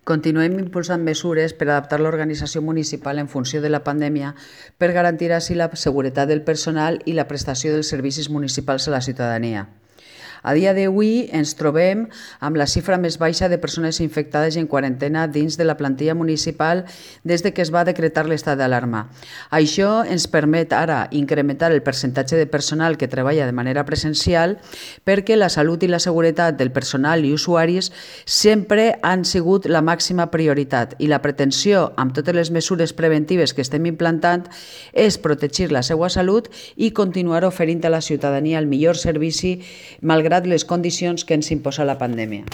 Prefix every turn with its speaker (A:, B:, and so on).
A: Continuem impulsant mesures per adaptar l'organització municipal en funció de la pandèmia per garantir així la seguretat del personal i la prestació dels servicis municipals a la ciutadania. A dia d'avui ens trobem amb la xifra més baixa de persones infectades i en quarantena dins de la plantilla municipal des que es va decretar l'estat d'alarma. Això ens permet ara incrementar el percentatge de personal que treballa de manera presencial perquè la salut i la seguretat del personal i usuaris sempre han sigut la màxima prioritat i la pretensió amb totes les mesures preventives que estem implantant és protegir la seva salut i continuar oferint a la ciutadania el millor servici malgrat les condicions que ens imposa la pandèmia.